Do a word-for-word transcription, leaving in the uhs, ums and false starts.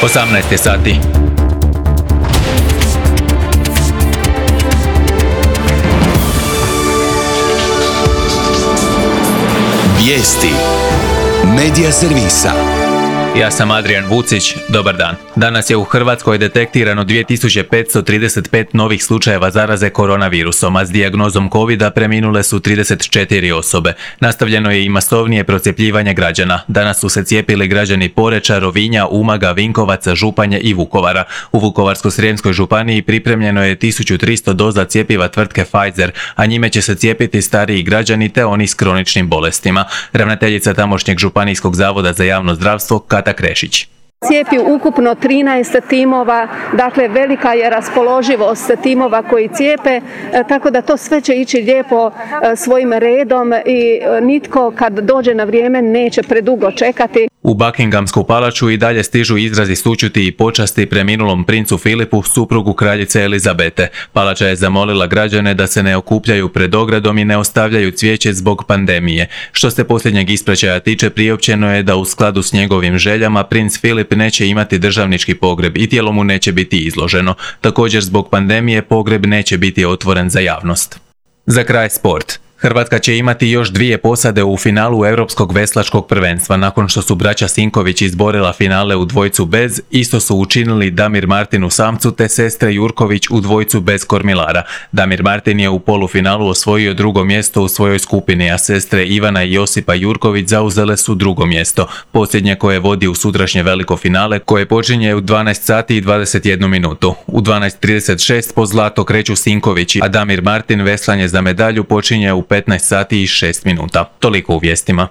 osamnaest je sati. Vijesti Medija servisa. Ja sam Adrian Vucić, dobar dan. Danas je u Hrvatskoj detektirano dvije tisuće petsto trideset pet novih slučajeva zaraze koronavirusom, a s dijagnozom covida preminule su trideset četiri osobe. Nastavljeno je i masovnije procjepljivanje građana. Danas su se cijepili građani Poreča, Rovinja, Umaga, Vinkovaca, Županje i Vukovara. U Vukovarsko-srijemskoj županiji pripremljeno je tisuću tristo doza cjepiva tvrtke Pfizer, a njime će se cijepiti stariji građani te oni s kroničnim bolestima. Ravnateljica tamošnjeg županijskog zavoda za javno zdravstvo Kata Krešić. Cijepi ukupno trinaest timova, dakle velika je raspoloživost timova koji cijepe, tako da to sve će ići lijepo svojim redom i nitko kad dođe na vrijeme neće predugo čekati. U Buckinghamsku palaču i dalje stižu izrazi sućuti i počasti preminulom princu Filipu, suprugu kraljice Elizabete. Palača je zamolila građane da se ne okupljaju pred ogradom i ne ostavljaju cvijeće zbog pandemije. Što se posljednjeg ispraćaja tiče, priopćeno je da u skladu s njegovim željama princ Filip neće imati državnički pogreb i tijelo mu neće biti izloženo. Također zbog pandemije pogreb neće biti otvoren za javnost. Za kraj sport. Hrvatska će imati još dvije posade u finalu Europskog veslačkog prvenstva. Nakon što su braća Sinković izborila finale u dvojcu bez, isto su učinili Damir Martin u samcu te sestre Jurković u dvojcu bez kormilara. Damir Martin je u polufinalu osvojio drugo mjesto u svojoj skupini, a sestre Ivana i Josipa Jurković zauzele su drugo mjesto. Posljednje koje vodi u sutrašnje veliko finale, koje počinje u dvanaest sati i dvadeset jednu minutu. U dvanaest trideset šest po zlato kreću Sinkovići, a Damir Martin veslanje za medalju počinje u petnaest sati i šest minuta. Toliko u vijestima.